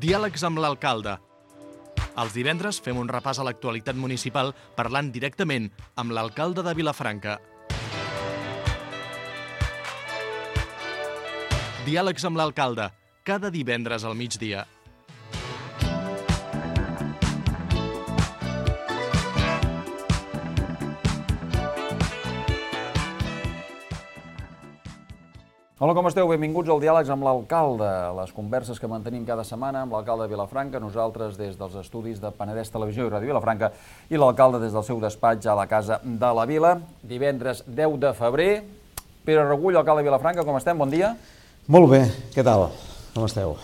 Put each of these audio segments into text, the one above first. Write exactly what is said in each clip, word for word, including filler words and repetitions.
Diàlegs amb l'alcalde. Els divendres fem un repàs a l'actualitat municipal parlant directament amb l'alcalde de Vilafranca. Diàlegs amb l'alcalde, cada divendres al migdia. Hola, com esteu? Benvinguts al Diàlegs amb l'alcalde, les converses que mantenim cada setmana amb l'alcalde de Vilafranca, nosaltres des dels estudis de Penedès Televisió i Ràdio Vilafranca i l'alcalde des del seu despatx a la Casa de la Vila. Divendres deu de febrer. Pere Regull, alcalde de Vilafranca, com estem? Bon dia. Molt bé, què tal? Com esteu?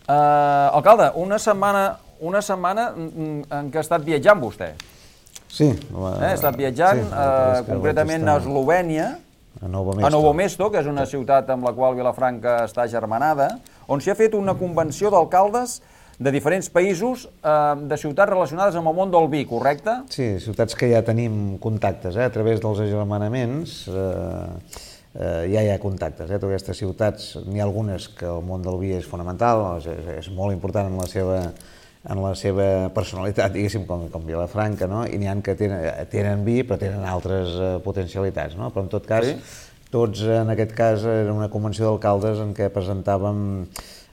Uh, alcalde, una setmana, una setmana en què ha estat viatjant vostè. Sí. Uh, ha estat viatjant, sí, uh, concretament a Eslovènia, a Novo Mesto. a Novo Mesto, que és una ciutat amb la qual Vilafranca està germanada, on s'hi ha fet una convenció d'alcaldes de diferents països, eh, de ciutats relacionades amb el món del vi, correcte? Sí, ciutats que ja tenim contactes, eh, a través dels agermanaments, eh, eh, ja hi ha contactes. Eh, totes aquestes ciutats, n'hi ha algunes que el món del vi és fonamental, és, és molt important en la seva en la seva personalitat, diguéssim, com, com Vilafranca, no? I n'hi ha que tenen, tenen vi, però tenen altres uh, potencialitats, no? Però en tot cas, sí. Tots en aquest cas era una convenció d'alcaldes en què presentàvem,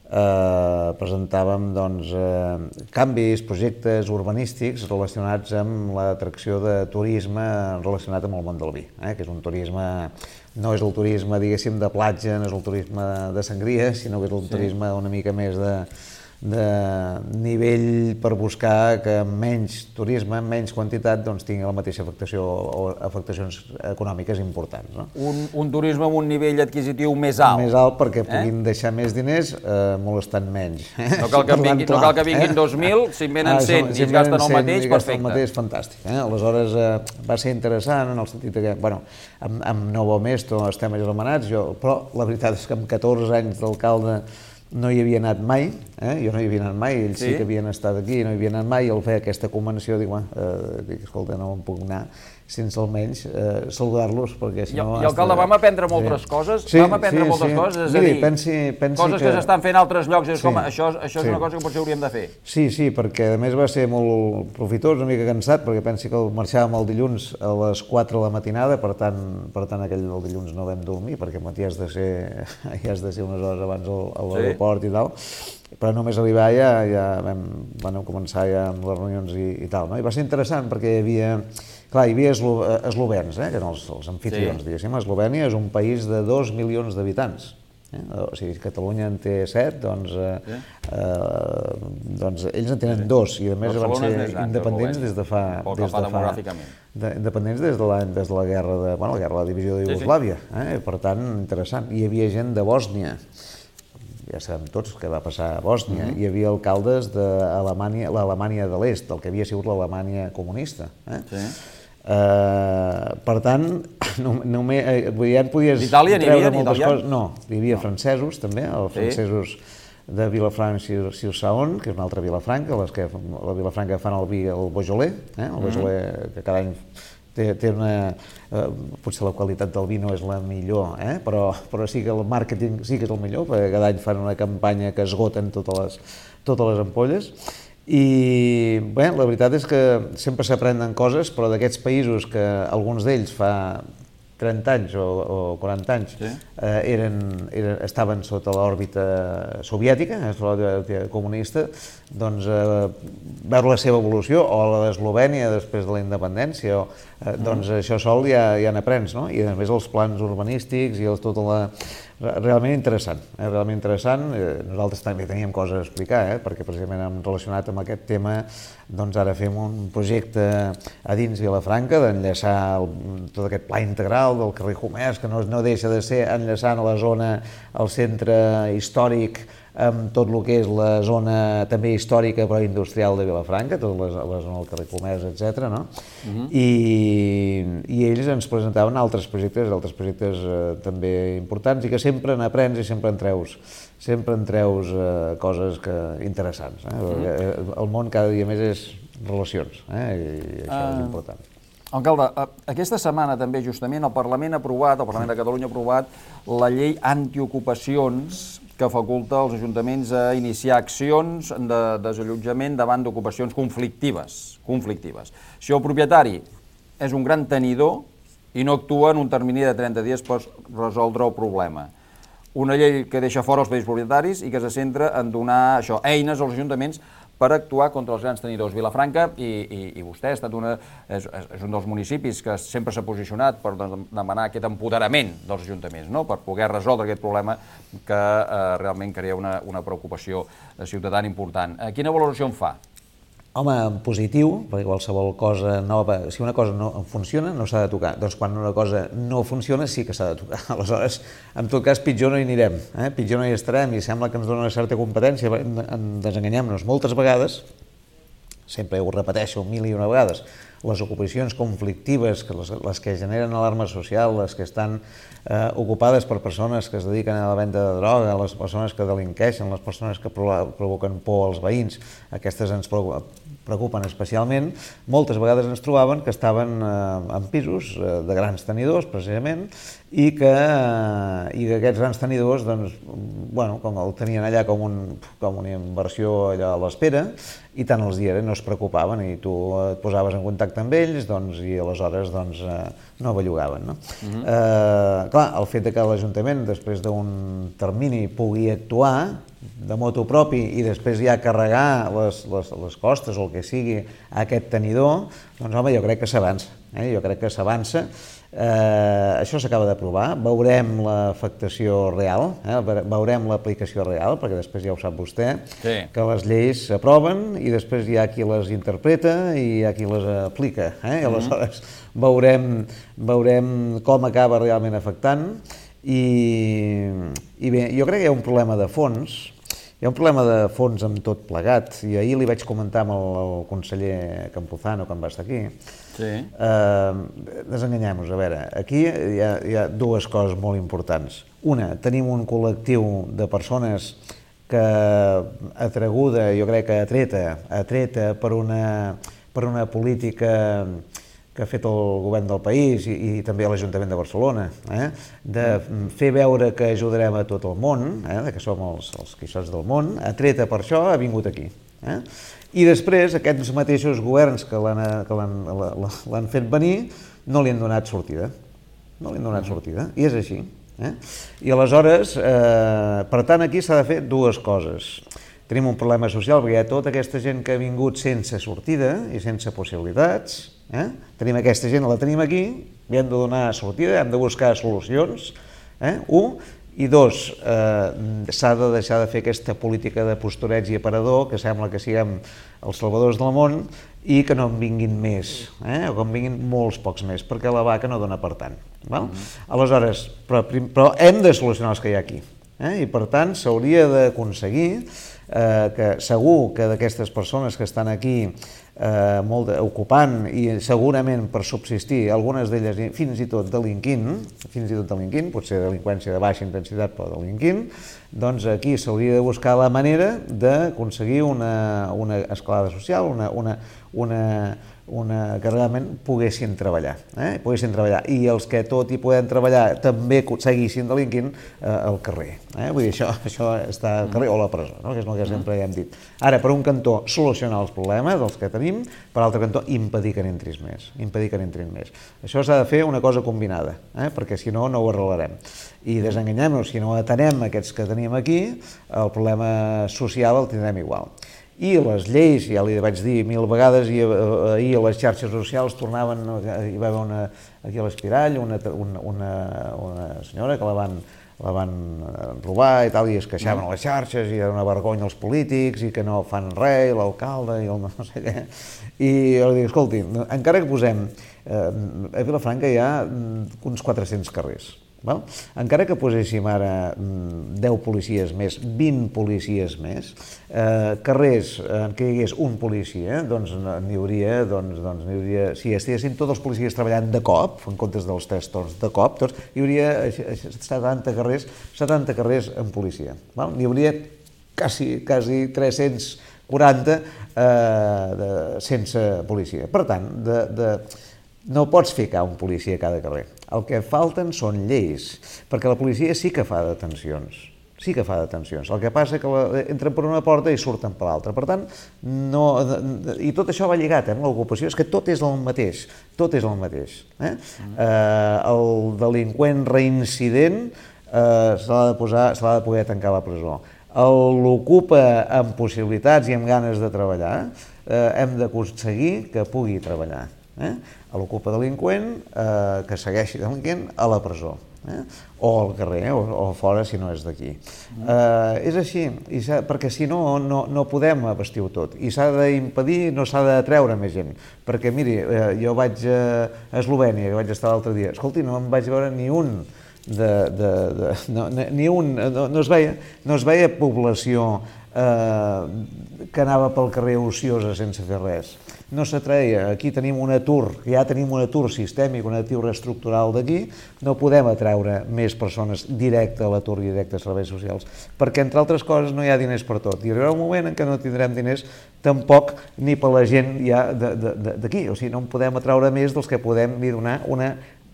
eh, presentàvem doncs, eh, canvis, projectes urbanístics relacionats amb l'atracció de turisme relacionat amb el món del vi, eh? Que és un turisme, no és el turisme, diguéssim, de platja, no és el turisme de sangria, sinó que és el sí. turisme una mica més de de nivell per buscar que menys turisme, en menys quantitat, doncs tingui la mateixa afectació o afectacions econòmiques importants. No? Un, un turisme amb un nivell adquisitiu més alt. Més alt perquè puguin eh? deixar més diners eh, molestant menys. Eh? No cal que vinguin, no cal que vinguin eh? dos mil, si en venen cent ah, si i es gasten el mateix, perfecte. El mateix, fantàstic. Eh? Aleshores eh, va ser interessant en el sentit que, bueno, amb, amb Novo Mesto estem agermanats, jo, però la veritat és que amb catorze anys d'alcalde no hi havia anat mai, eh? jo no hi havia anat mai, ells sí, sí que havien estat aquí, no hi havia anat mai, i al fer aquesta convenció dic, eh, dic, escolta, no em puc anar sense almenys eh, saludar-los, perquè si no... I, alcalde, vam aprendre moltes sí. coses, sí, vam aprendre sí, moltes sí. coses, és Miri, a dir, pensi, pensi coses que, que s'estan fent a altres llocs, és sí, com, això, això és sí. una cosa que potser hauríem de fer. Sí, sí, perquè a més va ser molt profitós, una mica cansat, perquè pensi que marxàvem el dilluns a les quatre de la matinada, per tant, per tant aquell el dilluns no vam dormir, perquè al matí has de ser, ja has de ser unes hores abans a l'aeroport sí. i tal, però només arribar ja, ja vam, vam començar ja amb les reunions i, i tal, no? I va ser interessant perquè hi havia, clar, hi havia eslo, eslovens, eh, que eren els, els anfitrions, sí. diguéssim. Eslovènia és un país de dos milions d'habitants. Eh? O sigui, Catalunya en té set, doncs, eh, sí. eh, doncs ells en tenen sí. dos, i a més Barcelona van ser gran, independents des de fa... Des de fa de, independents des de, la, des de la guerra de, bueno, la guerra de la divisió de Iugoslàvia. Sí, sí. Eh? Per tant, interessant. Hi havia gent de Bòsnia, ja sabem tots què va passar a Bòsnia, uh-huh. hi havia alcaldes de l'Alemanya de l'Est, el que havia sigut l'Alemanya comunista. Eh? Sí. Uh, per tant, no, no me, eh, ja et podies D'Itàlia n'hi havia? Coses. No, hi havia no. francesos també, els sí. francesos de Vilafranca-sur-Saône, que és una altra Vilafranca, les que la Vilafranca fan el vi, el Beaujolais, eh? el Beaujolais uh-huh. que cada any té, té una... Eh, potser la qualitat del vi no és la millor, eh? però, però sí que el màrqueting sí que és el millor, perquè cada any fan una campanya que esgoten totes les, totes les ampolles. I bé, la veritat és que sempre s'aprenen coses, però d'aquests països que alguns d'ells fa trenta anys o, o quaranta anys sí. eh, eren, eren, estaven sota l'òrbita soviètica, l'òrbita comunista, doncs eh, veure la seva evolució, o la d'Eslovènia després de la independència, o, eh, doncs mm. això sol ja, ja n'aprens, no? I a més els plans urbanístics i els, tota la... Realment interessant, eh? realment interessant. Nosaltres també teníem coses a explicar, eh? perquè precisament hem relacionat amb aquest tema, doncs ara fem un projecte a dins Vilafranca d'enllaçar tot aquest pla integral del carrer Comerç, que no, no deixa de ser enllaçant a la zona, al centre històric, amb tot el que és la zona també històrica però industrial de Vilafranca, tota la, la zona del carrer Comerç, etcètera. No? Uh-huh. I, I ells ens presentaven altres projectes, altres projectes eh, també importants i que sempre n'aprens i sempre en treus, sempre en treus eh, coses que, interessants. Eh? Uh-huh. El món cada dia més és relacions, eh? I això uh... és important. Alcalde, aquesta setmana també justament el Parlament ha aprovat, el Parlament de Catalunya ha aprovat la llei antiocupacions que faculta els ajuntaments a iniciar accions de desallotjament davant d'ocupacions conflictives. conflictives. Si el propietari és un gran tenidor i no actua en un termini de trenta dies per resoldre el problema. Una llei que deixa fora els petits propietaris i que se centra en donar això, eines als ajuntaments per actuar contra els grans tenidors. Vilafranca, i, i, i vostè ha estat una, és, és un dels municipis que sempre s'ha posicionat per demanar aquest empoderament dels ajuntaments, no? Per poder resoldre aquest problema que eh, realment crea una, una preocupació ciutadana important. Eh, quina valoració en fa? Home, en positiu, perquè qualsevol cosa nova, si una cosa no funciona, no s'ha de tocar. Doncs quan una cosa no funciona, sí que s'ha de tocar. Aleshores, en tot cas, pitjor no hi anirem, eh? pitjor no hi estarem, i sembla que ens dona una certa competència, desenganyem-nos moltes vegades, sempre ho repeteixo mil i una vegades, les ocupacions conflictives, que les, les que generen alarma social, les que estan eh, ocupades per persones que es dediquen a la venda de droga, les persones que delinqueixen, les persones que provoquen por als veïns, aquestes ens preocupen especialment. Moltes vegades ens trobaven que estaven eh, en pisos eh, de grans tenidors, precisament, i que, eh, i que aquests grans tenidors, doncs, bueno, com el tenien allà com, un, com una inversió allà a l'espera, i tant els dies no es preocupaven, i tu et posaves en contacte amb ells, doncs, i aleshores doncs, eh, no bellugaven. No? Uh-huh. eh, clar, el fet que l'Ajuntament, després d'un termini, pugui actuar de motu propi i després ja carregar les, les, les costes o el que sigui a aquest tenidor, doncs home, jo crec que s'avança. Eh? Jo crec que s'avança. Eh, això s'acaba d'aprovar, veurem l'afectació real, eh? veurem l'aplicació real, perquè després ja ho sap vostè, sí. que les lleis s'aproven i després hi ha qui les interpreta i hi ha qui les aplica. Eh? I aleshores veurem, veurem com acaba realment afectant. I, i bé, jo crec que hi ha un problema de fons, hi ha un problema de fons amb tot plegat, i ahir li vaig comentar amb el, el conseller Campuzano, quan va estar aquí. Sí. Eh, desenganyem-nos, a veure, aquí hi ha, hi ha dues coses molt importants. Una, tenim un col·lectiu de persones que atraguda, jo crec que atreta, atreta per una, per una política que ha fet el govern del país i, i també l'Ajuntament de Barcelona, eh? de fer veure que ajudarem a tot el món, eh? que som els, els quixots del món, atreta per això, ha vingut aquí. Eh? I després aquests mateixos governs que l'han fet venir no li han donat sortida, no li han donat sortida, i és així. Eh? I aleshores, eh, per tant, aquí s'ha de fer dues coses. Tenim un problema social perquè hi ha tota aquesta gent que ha vingut sense sortida i sense possibilitats. Eh? Tenim aquesta gent, la tenim aquí, li hem de donar sortida, hem de buscar solucions, eh? un, i dos, eh, s'ha de deixar de fer aquesta política de postureig i aparador, que sembla que siguem els salvadors del món, i que no en vinguin més, eh? o que en vinguin molts pocs més, perquè la vaca no dona per tant. Val? Mm-hmm. Aleshores, però, però hem de solucionar els que hi ha aquí, eh? i per tant s'hauria d'aconseguir eh, que segur que d'aquestes persones que estan aquí Eh, molt de, ocupant i segurament per subsistir, algunes d'elles fins i tot delinquint, fins i tot delinquint, potser delinqüència de baixa intensitat però delinquint, doncs aquí s'hauria de buscar la manera d'aconseguir una, una escalada social, una, una, una, una, que realment poguessin treballar, eh? poguessin treballar, i els que tot i podem treballar també seguissin delinquint eh, al carrer. Eh? Vull dir, això, això està al carrer o a la presó, no? que és el que sempre hem dit. Ara, per un cantó, solucionar els problemes dels que tenim, per l'altre cantó, impedir que n'entris més, impedir que n'entrin més. Això s'ha de fer una cosa combinada, eh? perquè si no, no ho arreglarem. I desenganyem-nos, si no atenem aquests que tenim aquí, el problema social el tindrem igual. I les lleis, ja li vaig dir mil vegades, i ahir a les xarxes socials tornaven, hi va haver una, aquí a l'Espirall, una, una, una, una senyora que la van, la van robar i tal, i es queixaven a les xarxes, i era una vergonya els polítics, i que no fan res, l'alcalde, i el no sé què. I jo dic, escolti, encara que posem, eh, a Vilafranca hi ha uns quatre-cents carrers, val? Encara que poséssim ara deu policies més, vint policies més, eh, carrers en què hi hagués un policia, doncs n'hi hauria, doncs, doncs n'hi hauria, si estiguessin tots els policies treballant de cop, en comptes dels tres torns de cop, doncs hi hauria setanta carrers, setanta carrers en policia. Val? N'hi hauria quasi, quasi tres-cents quaranta eh, de, sense policia. Per tant, de, de, no pots ficar un policia a cada carrer. El que falten són lleis, perquè la policia sí que fa detencions, sí que fa detencions. El que passa és que la, entren per una porta i surten per l'altra. Per tant, no, i tot això va lligat, eh, amb l'ocupació, és que tot és el mateix, tot és el mateix. Eh? Mm. Eh, el delinqüent reincident eh, se l'ha de posar, se l'ha de poder tancar a la presó. L'ocupa amb possibilitats i amb ganes de treballar, eh, hem d'aconseguir que pugui treballar. Eh? L'ocupa delinqüent, eh, que segueixi delinqüent, a la presó. Eh? O al carrer, o, o fora si no és d'aquí. Mm. Eh, és així, i perquè si no, no, no podem abastir-ho tot. I s'ha d'impedir, no s'ha de treure més gent. Perquè, miri, eh, jo vaig a Eslovènia, que vaig estar l'altre dia, escolti, no em vaig veure ni un de... de, de no, ni un, no, no, es veia, no es veia població eh, que anava pel carrer ociosa sense fer res. No s'atreia. Aquí tenim un atur, ja tenim un atur sistèmic, un atur estructural d'aquí, no podem atraure més persones directe a l'atur i directe a serveis socials, perquè, entre altres coses, no hi ha diners per tot. I arribarà un moment en què no tindrem diners tampoc ni per la gent ja d'aquí. O sigui, no en podem atraure més dels que podem li donar una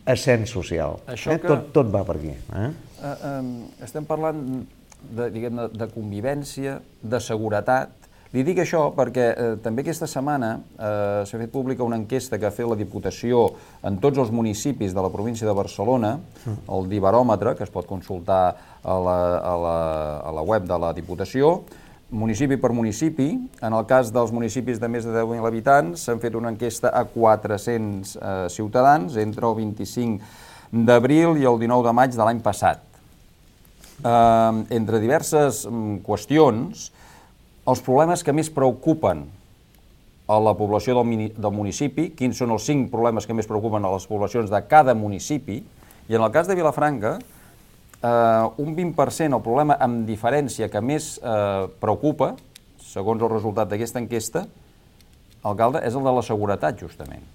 ascens social. Eh? Que... Tot, tot va per aquí. Eh? Uh, um, estem parlant de, diguem, de convivència, de seguretat. Li dic això perquè eh, també aquesta setmana eh, s'ha fet pública una enquesta que ha fet la Diputació en tots els municipis de la província de Barcelona, el Dibaròmetre, que es pot consultar a la, a la, a la web de la Diputació, municipi per municipi. En el cas dels municipis de més de deu mil habitants s'han fet una enquesta a quatre-cents eh, ciutadans entre el vint-i-cinc d'abril i el dinou de maig de l'any passat. Eh, entre diverses mm, qüestions, els problemes que més preocupen a la població del, mini, del municipi, quins són els cinc problemes que més preocupen a les poblacions de cada municipi, i en el cas de Vilafranca, eh, un vint per cent el problema amb diferència que més eh, preocupa, segons el resultat d'aquesta enquesta, alcalde, és el de la seguretat, justament.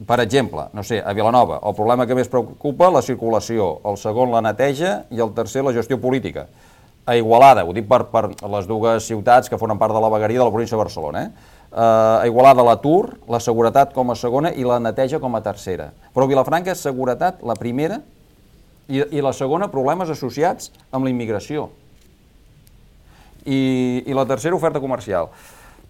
Per exemple, no sé, a Vilanova, el problema que més preocupa, la circulació, el segon, la neteja, i el tercer, la gestió política. A Igualada, ho dic per, per les dues ciutats que formen part de la vegueria de la província de Barcelona, eh? Uh, a Igualada l'atur, la seguretat com a segona i la neteja com a tercera. Però a Vilafranca és seguretat la primera i, i la segona problemes associats amb la immigració. I, i la tercera oferta comercial.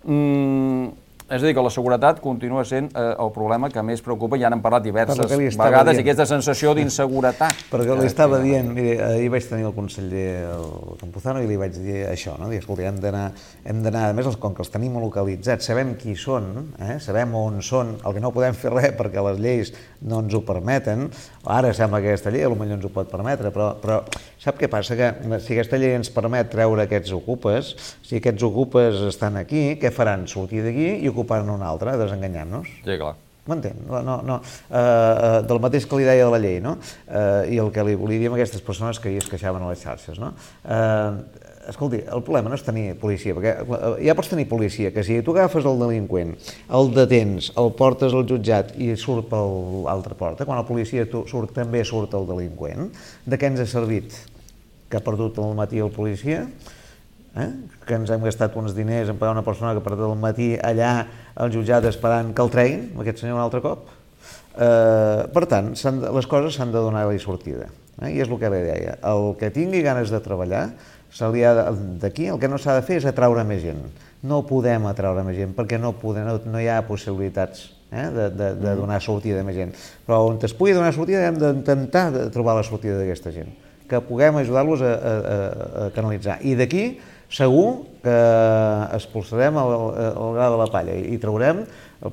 Mm, és a dir, que la seguretat continua sent eh, el problema que més preocupa, ja n'hem parlat diverses vegades, i aquesta sensació d'inseguretat. Perquè li estava dient, mire, ahir vaig tenir el conseller el Campuzano i li vaig dir això, no? Dir, escolta, hem d'anar, hem d'anar, a més, com que els tenim localitzats, sabem qui són, eh? Sabem on són, el que no podem fer res perquè les lleis no ens ho permeten, ara sembla que aquesta llei potser ens ho pot permetre, però, però sap què passa? Que si aquesta llei ens permet treure aquests ocupes, si aquests ocupes estan aquí, què faran? Sortir d'aquí i ocupar en una altra, desenganyant-nos. Sí, clar. M'entén? No, no, no. Uh, del mateix que li deia de la llei, no? Uh, I el que li volia dir a aquestes persones que hi es queixaven a les xarxes, no? Uh, escolti, el problema no és tenir policia, perquè ja pots tenir policia, que si tu agafes el delinqüent, el detens, el portes al jutjat i surt per l'altra porta, quan la policia surt, també surt el delinqüent, de què ens ha servit? Que ha perdut al matí el policia? Eh? Que ens hem gastat uns diners en pagar una persona que per al matí allà al jutjat esperant que el treguin, aquest senyor un altre cop. Eh, per tant, les coses s'han de donar-li sortida. Eh? I és el que li deia. El que tingui ganes de treballar, d'aquí el que no s'ha de fer és atraure més gent. No podem atraure més gent perquè no, podem, no, no hi ha possibilitats eh? de, de, de donar sortida a més gent. Però on es pugui donar sortida hem d'intentar trobar la sortida d'aquesta gent, que puguem ajudar-los a, a, a canalitzar. I d'aquí segur que expulsarem el, el gra de la palla i traurem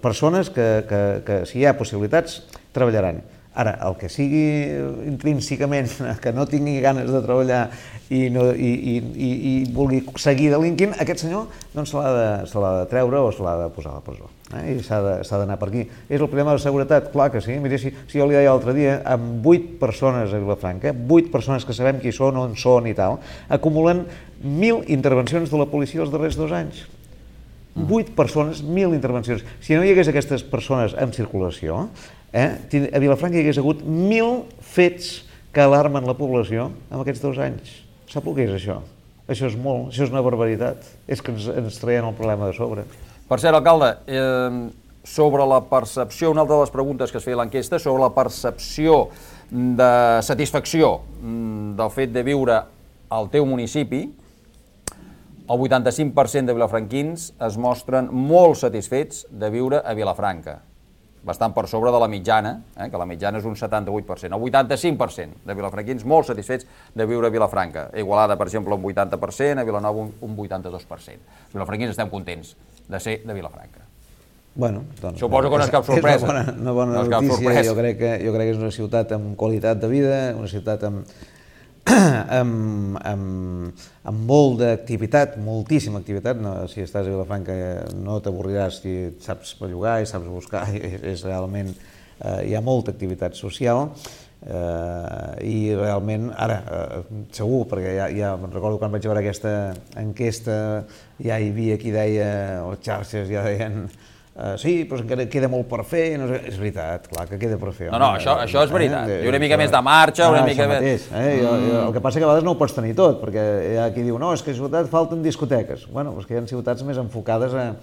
persones que, que, que si hi ha possibilitats, treballaran. Ara, el que sigui intrínsecament que no tingui ganes de treballar i, no, i, i, i, i vulgui seguir delinquint, aquest senyor doncs, se l'ha de, se l'ha de treure o se l'ha de posar a la presó. Eh? I s'ha d'anar per aquí. És el problema de la seguretat? Clar que sí. Mira, si, si jo li deia l'altre dia, amb vuit persones a Vilafranca, vuit persones que sabem qui són, on són i tal, acumulen mil intervencions de la policia els darrers dos anys. Vuit persones, mil intervencions. Si no hi hagués aquestes persones en circulació, eh, a Vilafranca hi hagués hagut mil fets que alarmen la població en aquests dos anys. Sap el que és això? Això és molt, això és una barbaritat. És que ens, ens traien el problema de sobre. Per cert, alcalde, eh, sobre la percepció, una altra de les preguntes que es feia a l'enquesta, sobre la percepció de satisfacció del fet de viure al teu municipi, el vuitanta-cinc per cent de vilafranquins es mostren molt satisfets de viure a Vilafranca, bastant per sobre de la mitjana, eh, que la mitjana és un setanta-vuit per cent. El vuitanta-cinc per cent de vilafranquins molt satisfets de viure a Vilafranca. A Igualada, per exemple, un vuitanta per cent, a Vilanova un vuitanta-dos per cent. Els vilafranquins estem contents de ser de Vilafranca. Bueno, doncs, Suposo que no és cap sorpresa. És una bona, una bona no és cap notícia. sorpresa. Jo crec, que, jo crec que és una ciutat amb qualitat de vida, una ciutat amb, amb, amb, amb molt d'activitat, moltíssima activitat. No, si estàs a Vilafranca no t'avorriràs si saps bellugar i saps buscar, és, és realment, eh, hi ha molta activitat social. Uh, i realment, ara, uh, segur, perquè ja, ja recordo quan vaig veure aquesta enquesta, ja hi havia qui deia, les xarxes ja deien, uh, sí, però encara queda molt per fer, no sé, és veritat, clar que queda per fer. No, no, això, això és veritat, eh, i una mica més de marxa, una ah, mica més... Mateix, eh? mm. jo, el que passa que a vegades no ho pots tenir tot, perquè hi ha qui diu, no, és que a ciutats falten discoteques. Bueno, és que hi ha ciutats més enfocades a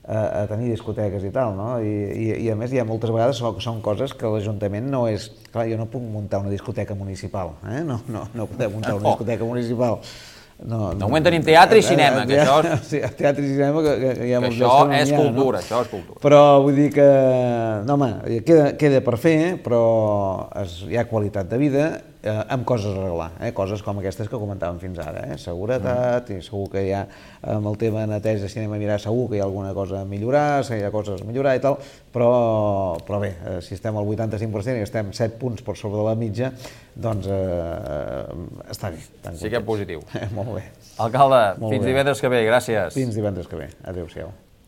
a tenir discoteques i tal, no? I, i, i a més hi ha moltes vegades que són coses que l'Ajuntament no és... Clar, jo no puc muntar una discoteca municipal, eh? No, no, no podem muntar una discoteca municipal. No, de moment tenim teatre i cinema, que això... Sí, teatre i cinema, que, que, que hi ha molts això que és no ha, cultura, no? això és cultura. Però vull dir que, no home, queda, queda per fer, però es, hi ha qualitat de vida eh, amb coses a arreglar, eh? Coses com aquestes que comentàvem fins ara, eh? Seguretat, mm. i segur que hi ha, amb el tema de neteja de cinema mirar, segur que hi ha alguna cosa a millorar, hi ha coses a millorar i tal, però, però bé, eh, si estem al vuitanta-cinc per cent i estem set punts per sobre de la mitja, doncs eh, està bé. Sí que és positiu. Molt bé. Alcalde, Molt fins bé. divendres que ve, gràcies. Fins divendres que ve. Adéu-siau.